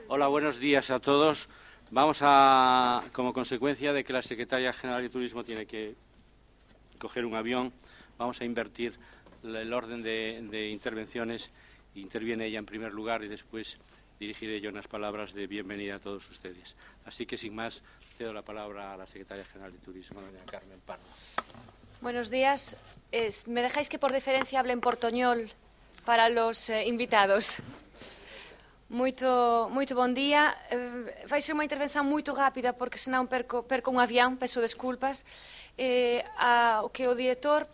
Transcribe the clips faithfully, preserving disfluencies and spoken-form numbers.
Hola, buenos días a todos. Vamos a, como consecuencia de que la Secretaria General de Turismo tiene que coger un avión, vamos a invertir el orden de, de intervenciones. Interviene ella en primer lugar y después dirigiré yo unas palabras de bienvenida a todos ustedes. Así que, sin más, cedo la palabra a la Secretaria General de Turismo, doña Carmen Pardo. Buenos días. Es, ¿Me dejáis que por deferencia hable en portoñol para los eh, invitados? Moito, moito bon día. Eh, vai ser unha intervención moito rápida porque senón perco, perco un avión, peço desculpas. Eh, a, o que o director,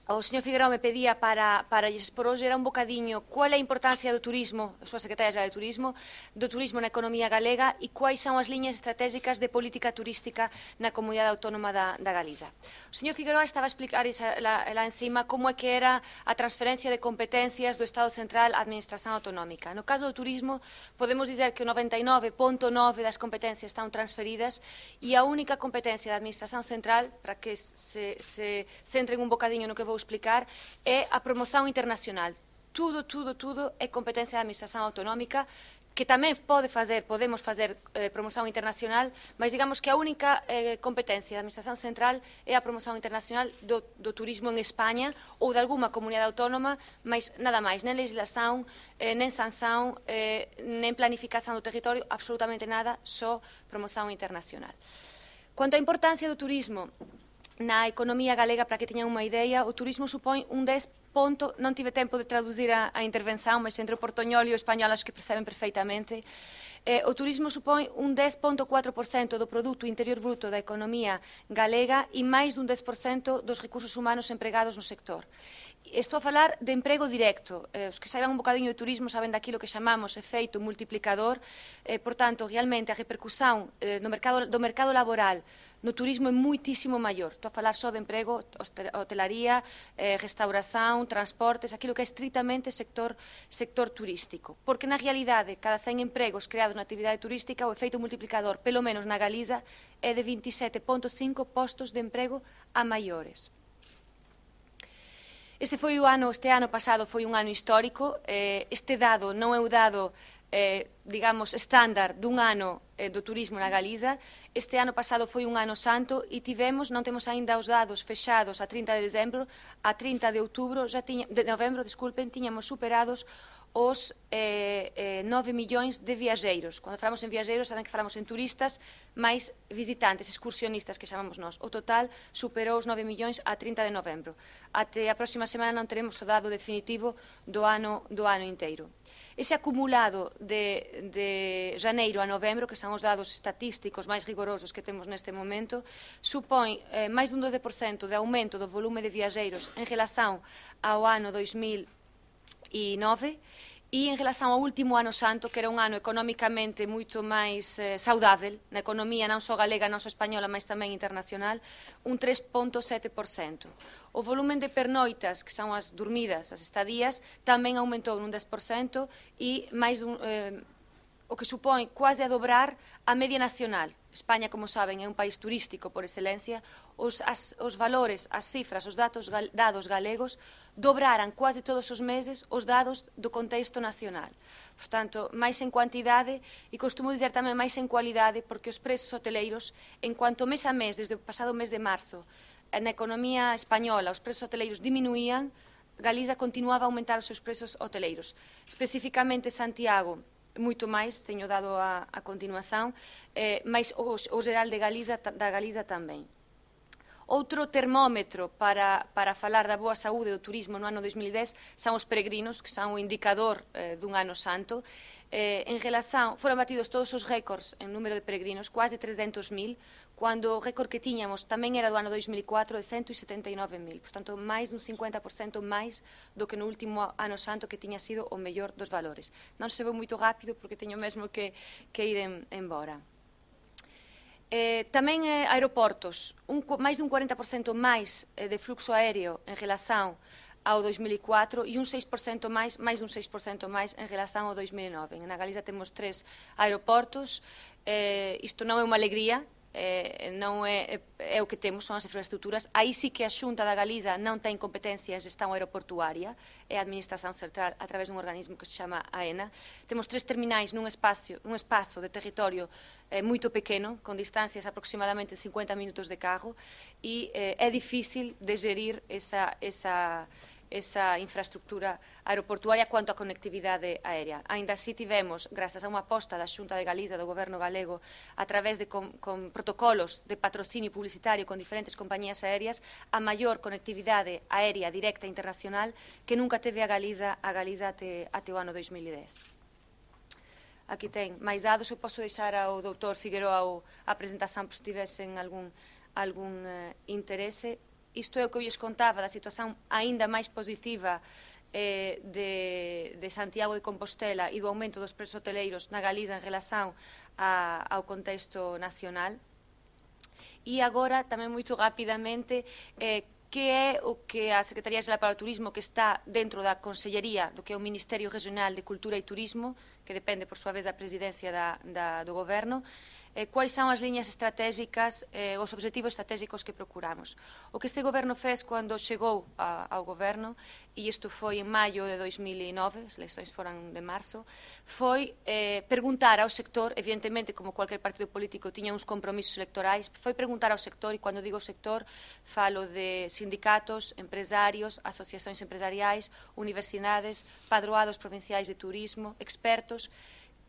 o señor Figueroa, me pedía para, para lles por hoxe era un bocadiño cual é a importancia do turismo, a súa secretaria xeral de Turismo, do turismo na economía galega e quais son as liñas estratégicas de política turística na comunidade autónoma da, da Galiza. O señor Figueroa estaba a explicar esa, la, la encima como é que era a transferencia de competencias do Estado Central á Administración Autonómica. No caso do turismo, podemos dizer que o noventa e nove punto nove das competencias están transferidas e a única competencia da Administración Central, para que se, se centren un bocadiño no que vou explicar, é a promoción internacional. Tudo, tudo, tudo é competencia da Administración Autonómica, que tamén pode fazer, podemos fazer eh, promoción internacional, mas digamos que a única eh, competencia da Administración Central é a promoción internacional do, do turismo en España ou de alguma comunidade autónoma, mas nada máis, nen legislación, eh, nen sanción, eh, nen planificación do territorio, absolutamente nada, só promoción internacional. Quanto á importancia do turismo na economía galega, para que teñan unha idea, o turismo supón un dez ponto, non tive tempo de traducir a, a intervención, mas entre o portoñol e o español acho que perceben perfeitamente. Eh, o turismo supón un dez punto catro por cento do produto interior bruto da economía galega e máis dun dez por cento dos recursos humanos empregados no sector. Estou a falar de emprego directo. Eh, os que saiban un bocadiño de turismo saben daquilo que chamamos efeito multiplicador. Eh, por tanto, realmente a repercusión eh, no mercado, do mercado laboral no turismo é muitísimo maior. Estou a falar só de emprego, hotelaría, eh, restauración, transportes, aquilo que é estritamente sector, sector turístico. Porque na realidade, cada cen empregos creados na actividade turística, o efeito multiplicador, pelo menos na Galiza, é de vinte e sete punto cinco postos de emprego a maiores. Este foi o ano, este ano pasado foi un ano histórico. Eh, este dado non é o dado Eh, digamos, estándar dun ano eh, do turismo na Galiza. Este ano pasado foi un ano santo e tivemos, non temos aínda os dados fexados a trinta de dezembro, a trinta de outubro, já tiña, de novembro, disculpen, tiñamos superados os eh, eh, nove millóns de viaxeiros. Cando falamos en viaxeiros, saben que falamos en turistas, máis visitantes, excursionistas, que chamamos nós. O total superou os nove millóns a trinta de novembro. Até a próxima semana non teremos o dado definitivo do ano, do ano inteiro. Ese acumulado de, de janeiro a novembro, que son os dados estatísticos máis rigorosos que temos neste momento, supón eh, máis dun doce por cento de aumento do volume de viaxeiros en relación ao ano dois mil e nove e en relación ao último ano santo, que era un ano económicamente moito máis eh, saudável, na economía non só galega, non só española, mas tamén internacional, un tres punto sete por cento. O volumen de pernoitas, que son as dormidas, as estadías, tamén aumentou nun dez por cento e máis dun, eh, o que supón quase a dobrar a media nacional. España, como saben, é un país turístico por excelencia. Os, as, os valores, as cifras, os datos, gal, dados galegos dobraran quase todos os meses os dados do contexto nacional. Por tanto, máis en cuantidade e costumo dizer tamén máis en cualidade, porque os prezos hoteleiros, en cuanto mes a mes, desde o pasado mes de marzo, na economía española os prezos hoteleiros diminuían, Galiza continuaba a aumentar os seus prezos hoteleiros. Especificamente Santiago, moito máis, teño dado a, a continuación, eh, mas o, o geral de Galiza, da Galiza tamén. Outro termómetro para, para falar da boa saúde do turismo no ano dois mil e dez son os peregrinos, que son o indicador eh, dun ano santo. Eh, en relación, foron batidos todos os récords en número de peregrinos, quase trescentos mil, cando o récord que tiñamos tamén era do ano dois mil e catro de cento e setenta e nove mil. Portanto, máis dun cincuenta por cento máis do que no último ano santo, que tiña sido o mellor dos valores. Non se veu moito rápido porque teño mesmo que, que ir en, embora. Eh, tamén eh, aeroportos, un, máis dun cuarenta por cento máis eh, de fluxo aéreo en relación ao dois mil e catro e un seis por cento máis, máis dun seis por cento máis en relación ao dois mil e nove. Na Galiza temos tres aeroportos. Eh, isto non é unha alegría, eh, non é, é o que temos, son as infraestructuras. Aí sí que a Xunta da Galiza non ten competencia en xestão aeroportuaria, é a Administración Central a través dun organismo que se chama AENA. Temos tres terminais nun espacio, un espazo de territorio eh, moito pequeno, con distancias aproximadamente de cincuenta minutos de carro, e eh, é difícil de gerir esa, esa esa infraestructura aeroportuaria quanto á conectividade aérea. Ainda así tivemos, grazas a unha aposta da Xunta de Galiza, do Goberno galego, a través de con, con protocolos de patrocinio publicitario con diferentes compañías aéreas, a maior conectividade aérea directa internacional que nunca teve a Galiza, a Galiza até, até o ano dois mil e dez. Aquí ten máis dados, eu posso deixar ao doutor Figueroa a presentación por se tivesen algún, algún uh, interese. Isto é o que eu lles contaba da situación aínda máis positiva eh, de, de Santiago de Compostela e do aumento dos preços hoteleiros na Galiza en relación a, ao contexto nacional. E agora, tamén moito rapidamente, eh, que é o que a Secretaría Xeral para o Turismo, que está dentro da Consellería do que é o Ministerio Regional de Cultura e Turismo, que depende, por súa vez, da presidencia da, da, do Goberno, Eh, quais são as linhas estratégicas, eh, os objetivos estratégicos que procuramos. O que este goberno fez cando chegou a, ao goberno, e isto foi en maio de dois mil e nove, as eleições foram de marzo, foi eh, perguntar ao sector, evidentemente, como qualquer partido político tiña uns compromisos electorais, foi perguntar ao sector, e cando digo sector, falo de sindicatos, empresarios, asociacións empresariais, universidades, padroados provinciais de turismo, expertos,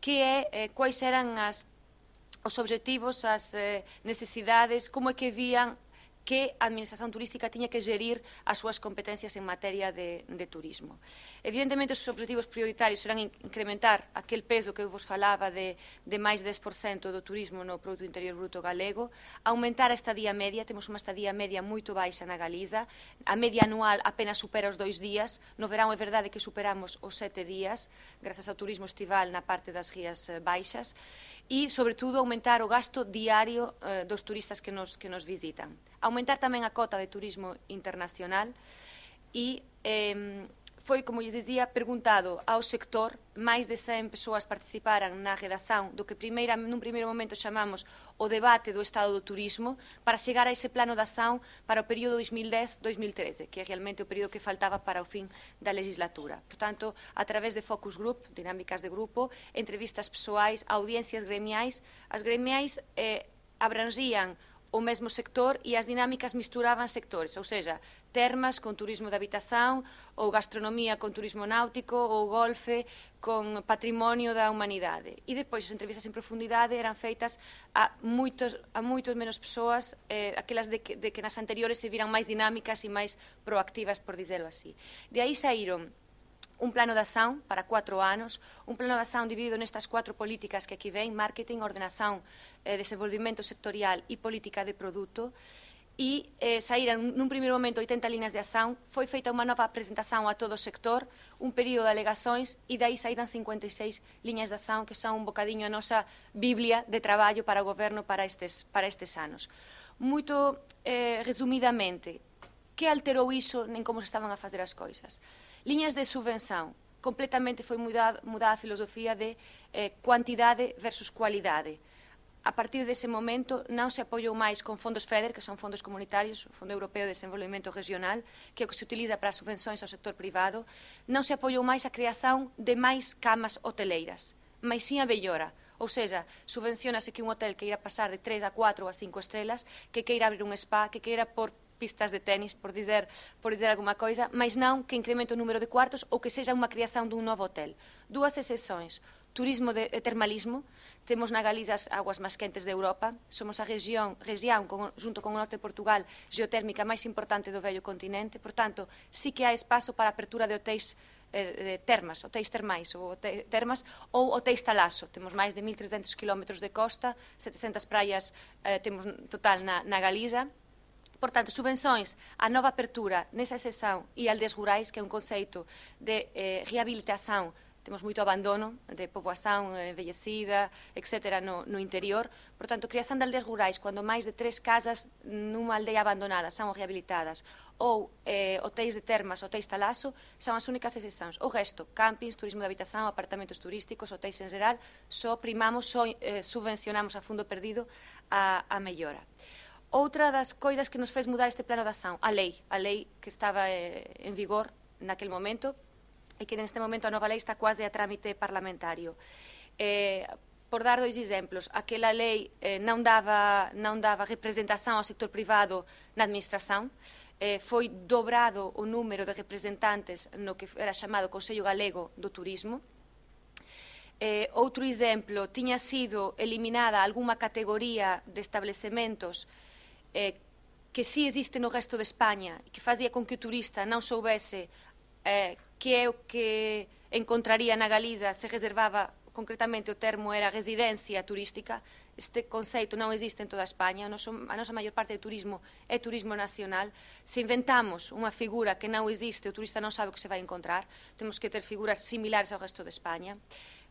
que é, eh, quais eran as os objetivos, as eh, necesidades, como é que vían que a Administración Turística tiña que gerir as súas competencias en materia de, de turismo. Evidentemente, os objetivos prioritarios serán incrementar aquel peso que eu vos falaba de, de máis dez por cento do turismo no Produto Interior Bruto galego, aumentar a estadía media, temos unha estadía media moito baixa na Galiza, a media anual apenas supera os dois días, no verán é verdade que superamos os sete días, grazas ao turismo estival na parte das rías baixas, e, sobre todo, aumentar o gasto diario eh, dos turistas que nos, que nos visitan. Aumentar tamén a cota de turismo internacional e eh, foi, como lles dizía, perguntado ao sector, máis de cen persoas participaran na redacción do que primeira, nun primeiro momento chamamos o debate do estado do turismo, para chegar a ese plano de acción para o período dois mil dez a dois mil trece, que é realmente o período que faltaba para o fin da legislatura. Por tanto, a través de focus group, dinámicas de grupo, entrevistas persoais, audiencias gremiais, as gremiais eh, abranxían o mesmo sector e as dinámicas misturaban sectores, ou seja, termas con turismo de habitación, ou gastronomía con turismo náutico, ou golfe con patrimonio da humanidade. E depois as entrevistas en profundidade eran feitas a moitos, a moitos menos persoas, eh, aquelas de que, de que nas anteriores se viran máis dinámicas e máis proactivas, por dizelo así. De aí saíron un plano de acción para cuatro anos, un plano de acción dividido nestas cuatro políticas que aquí ven, marketing, ordenación, eh, desenvolvimento sectorial e política de produto, e eh, saíran nun primeiro momento oitenta líneas de acción, foi feita unha nova presentación a todo o sector, un período de alegações, e dai saíran cincuenta e seis líneas de acción que son un bocadiño a nosa biblia de traballo para o goberno para estes, para estes anos. Moito eh, resumidamente, que alterou iso en como se estaban a facer as coisas? Liñas de subvención, completamente foi mudada, mudada a filosofía de eh, cuantidade versus cualidade. A partir dese momento non se apoiou máis con fondos FEDER, que son fondos comunitarios, o Fondo Europeo de Desenvolvemento Regional, que é o que se utiliza para as subvenções ao sector privado, non se apoiou máis a creación de máis camas hoteleiras, mas sim a mellora. Ou seja, subvencionase que un hotel que irá pasar de tres a cuatro ou a cinco estrelas, que queira abrir un spa, que queira por pistas de tenis, por dizer, por dizer alguma coisa, mas non que incremente o número de cuartos ou que sexa unha creación dun novo hotel. Dúas excepções. Turismo de termalismo, temos na Galiza as aguas máis quentes de Europa, somos a región, región con, junto con o norte de Portugal, geotérmica máis importante do vello continente, por tanto, sí que hai espazo para a apertura de hotéis eh, de termas, hotéis termais ou hotéis, termas, ou hotéis talaso. Temos máis de mil trescentos quilómetros de costa, setecentas praias eh, temos total na, na Galiza. Por tanto, subvenções, a nova apertura nesa exceção e aldeas rurais, que é un conceito de eh, rehabilitación, temos moito abandono de poboación envellecida, etcétera, no, no interior. Por tanto, creación de aldeas rurais, cando máis de tres casas nunha aldea abandonada son rehabilitadas, ou eh, hotéis de termas, hotéis talaso, son as únicas exceções. O resto, campings, turismo de habitación, apartamentos turísticos, hotéis en geral, só primamos, só eh, subvencionamos a fundo perdido a, a mellora. Outra das coisas que nos fez mudar este plano de ação, a lei, a lei que estaba eh, en vigor naquele momento, e que neste momento a nova lei está quase a trámite parlamentario. Eh, por dar dois exemplos, aquela lei eh, non, dava, non dava representação ao sector privado na administração, eh, foi dobrado o número de representantes no que era chamado Consello Galego do Turismo. Eh, outro exemplo, tiña sido eliminada algunha categoría de establecementos eh, que si existe no resto de España e que fazía con que o turista non soubese eh, que é o que encontraría na Galiza se reservaba, concretamente o termo era residencia turística. Este conceito non existe en toda España, a, noso, a nosa maior parte de turismo é turismo nacional. Se inventamos unha figura que non existe, o turista non sabe o que se vai encontrar, temos que ter figuras similares ao resto de España.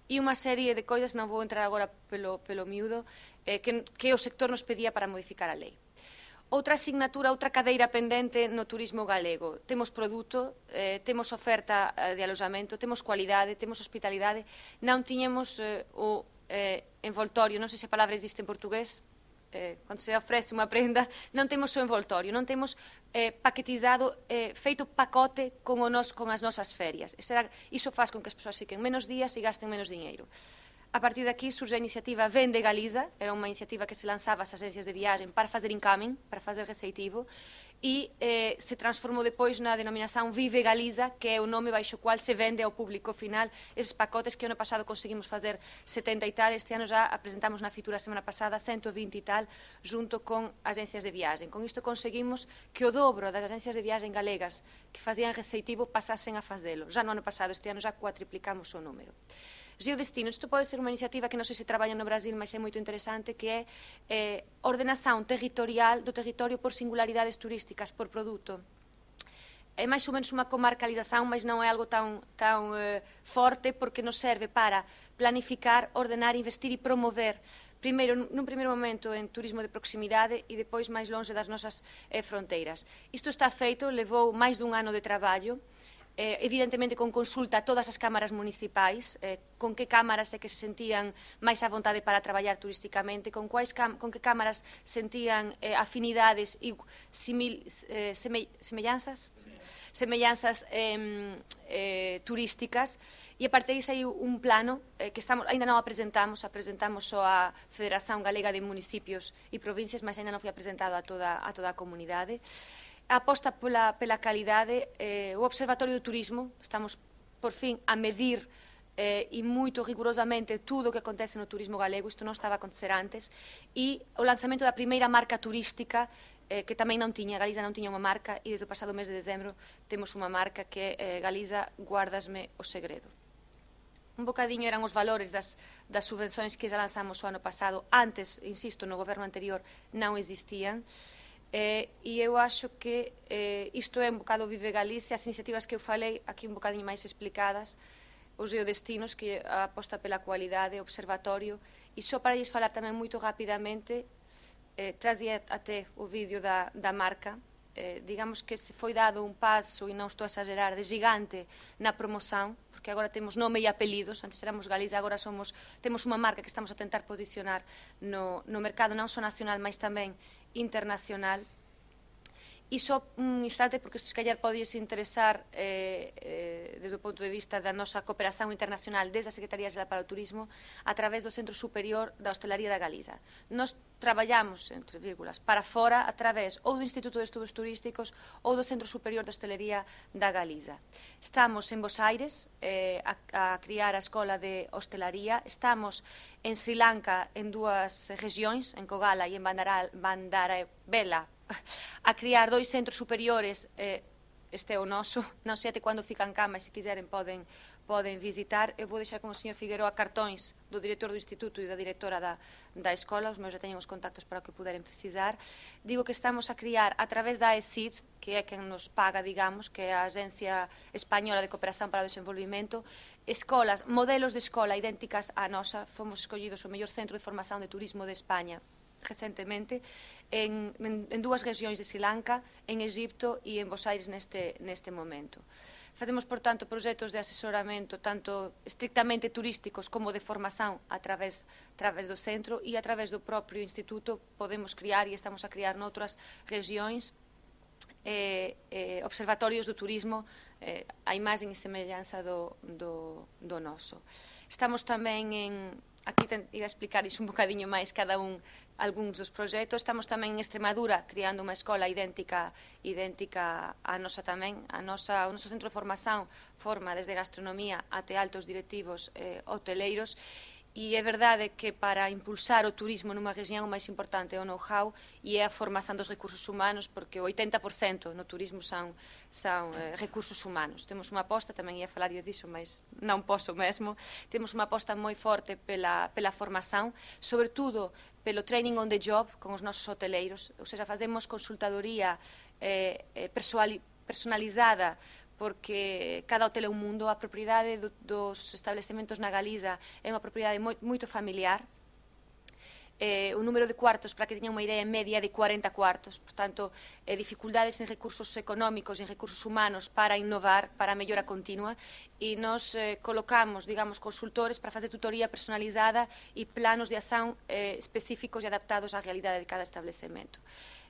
E unha serie de coisas, non vou entrar agora pelo, pelo miúdo, eh, que, que o sector nos pedía para modificar a lei. Outra asignatura, outra cadeira pendente no turismo galego. Temos produto, eh, temos oferta de alojamento, temos cualidade, temos hospitalidade. Non tiñemos eh, o eh, envoltorio, non sei se a palabra existe en portugués, eh, cando se ofrece unha prenda, non temos o envoltorio, non temos eh, paquetizado, eh, feito pacote con, o nos, con as nosas ferias. Era, iso faz con que as persoas fiquen menos días e gasten menos dinheiro. A partir daqui surge a iniciativa Vende Galiza, era unha iniciativa que se lanzaba ás agências de viagem para fazer incoming, para fazer receitivo, e eh, se transformou depois na denominação Vive Galiza, que é o nome baixo o qual se vende ao público final esses pacotes que ano pasado conseguimos fazer setenta e tal, este ano já apresentamos na fitura a semana pasada cento e vinte e tal, junto con agências de viagem. Con isto conseguimos que o dobro das agências de viagem galegas que fazían receitivo pasasen a fazelo. Já no ano pasado, este ano já cuatriplicamos o número. Geodestinos, isto pode ser unha iniciativa que non sei se traballa no Brasil, mas é moito interesante, que é eh, ordenación territorial do territorio por singularidades turísticas, por produto. É máis ou menos unha comarcalización, mas non é algo tan, tan eh, forte, porque nos serve para planificar, ordenar, investir e promover, primeiro, nun primeiro momento, en turismo de proximidade e depois máis longe das nosas eh, fronteiras. Isto está feito, levou máis dun ano de traballo, Eh, evidentemente con consulta a todas as cámaras municipais, eh, con que cámaras é que se sentían máis a vontade para traballar turísticamente, con, quais con que cámaras sentían eh, afinidades e simil, eh, seme, semellanzas, semellanzas eh, eh, turísticas, e a partir disso hai un plano eh, que estamos, ainda non apresentamos, apresentamos só a Federación Galega de Municipios e Provincias, mas ainda non foi apresentado a toda a, toda a comunidade. A aposta pola, pela calidade, eh, o Observatorio do Turismo, estamos por fin a medir eh, e moito rigurosamente tudo o que acontece no turismo galego, isto non estaba a acontecer antes, e o lanzamento da primeira marca turística, eh, que tamén non tiña, Galiza non tiña unha marca, e desde o pasado mes de dezembro temos unha marca que é eh, Galiza, guárdasme o segredo. Un bocadiño eran os valores das, das subvenções que já lanzamos o ano pasado, antes, insisto, no goberno anterior non existían. Eh, e eu acho que eh, isto é un bocado Vive Galicia, as iniciativas que eu falei aquí un bocadinho máis explicadas, os geodestinos, que a aposta pela cualidade, o observatorio, e só para lles falar tamén moito rapidamente, eh, trazia até o vídeo da, da marca, eh, digamos que se foi dado un paso, e non estou a exagerar, de gigante na promoción, porque agora temos nome e apelidos, antes éramos Galiza, agora somos, temos unha marca que estamos a tentar posicionar no, no mercado non só nacional, mas tamén internacional. E só un instante, porque se calhar podíase interesar eh, eh, desde o ponto de vista da nosa cooperación internacional desde a Secretaría Xeral para o Turismo a través do Centro Superior da Hostelaría da Galiza. Nos traballamos, entre vírgulas, para fora a través ou do Instituto de Estudos Turísticos ou do Centro Superior da Hostelería da Galiza. Estamos en Bos Aires eh, a, a criar a Escola de Hostelaría, estamos en Sri Lanka en dúas regións, en Kogala e en Bandarabela, a criar dois centros superiores, eh, este é o noso, non sei até cando fican cá, mas se quiseren poden, poden visitar. Eu vou deixar con o señor Figueroa cartóns do director do Instituto e da directora da, da escola, os meus já teñen os contactos para o que puderem precisar. Digo que estamos a criar a través da A E C I D, que é quen nos paga, digamos, que é a Agencia Española de Cooperación para o Desenvolvimento, escolas, modelos de escola idénticas á nosa. Fomos escollidos o mellor centro de formación de turismo de España recentemente, en, en, en dúas regións de Sri Lanka, en Egipto e en Bos Aires neste, neste momento. Facemos, por tanto, proxectos de asesoramento tanto estrictamente turísticos como de formación a través, a través do centro, e a través do propio instituto podemos criar, e estamos a criar noutras regións, eh, eh, observatorios do turismo eh, a imagen e semellanza do, do, do noso. Estamos tamén en... Aquí iba a explicar iso un bocadiño máis cada un algúns dos proxectos. Estamos tamén en Extremadura criando unha escola idéntica idéntica a nosa tamén. A nosa, o noso centro de formación forma desde gastronomía até altos directivos eh, hoteleiros, e é verdade que para impulsar o turismo nunha región o máis importante é o know-how e é a formación dos recursos humanos, porque o oitenta por cento no turismo son, son eh, recursos humanos. Temos unha aposta, tamén ia falar disso, mas non posso mesmo, temos unha aposta moi forte pela, pela formación, sobretudo pelo training on the job con os nosos hoteleiros, ou seja, facemos consultadoría eh, eh, personalizada, porque cada hotel é un mundo. A propiedade do, dos establecementos na Galiza é unha propiedade moi, moito familiar. Eh, o número de cuartos, para que teñan unha idea, media de cuarenta cuartos. Portanto, eh, dificultades en recursos económicos e en recursos humanos para innovar, para a mellora continua, e nos eh, colocamos, digamos, consultores para facer tutoría personalizada e planos de acción eh, específicos e adaptados á realidade de cada establecemento.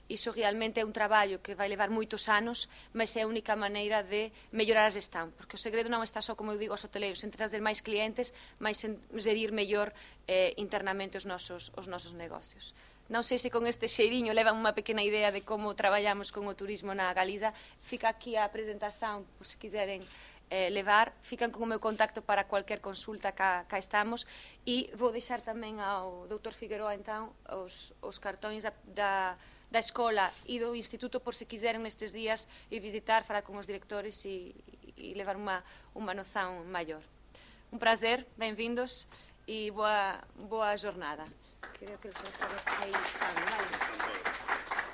Iso realmente é un traballo que vai levar moitos anos, mas é a única maneira de mellorar a gestão, porque o segredo non está só, como eu digo aos hoteleiros, en trazer máis clientes, mas en gerir mellor eh, internamente os nosos, os nosos negocios. Non sei se con este xeiriño levan unha pequena idea de como traballamos con o turismo na Galiza. Fica aquí a presentación, por se quiseren eh, levar, fican con o meu contacto para cualquier consulta cá, cá estamos, e vou deixar tamén ao doutor Figueroa, entón, os, os cartóns da, da da escola e do instituto, por se quiseren nestes días e visitar, falar con os directores e, e levar unha, unha noção maior. Un prazer, benvindos e boa, boa jornada. Creo que os aí están, vale?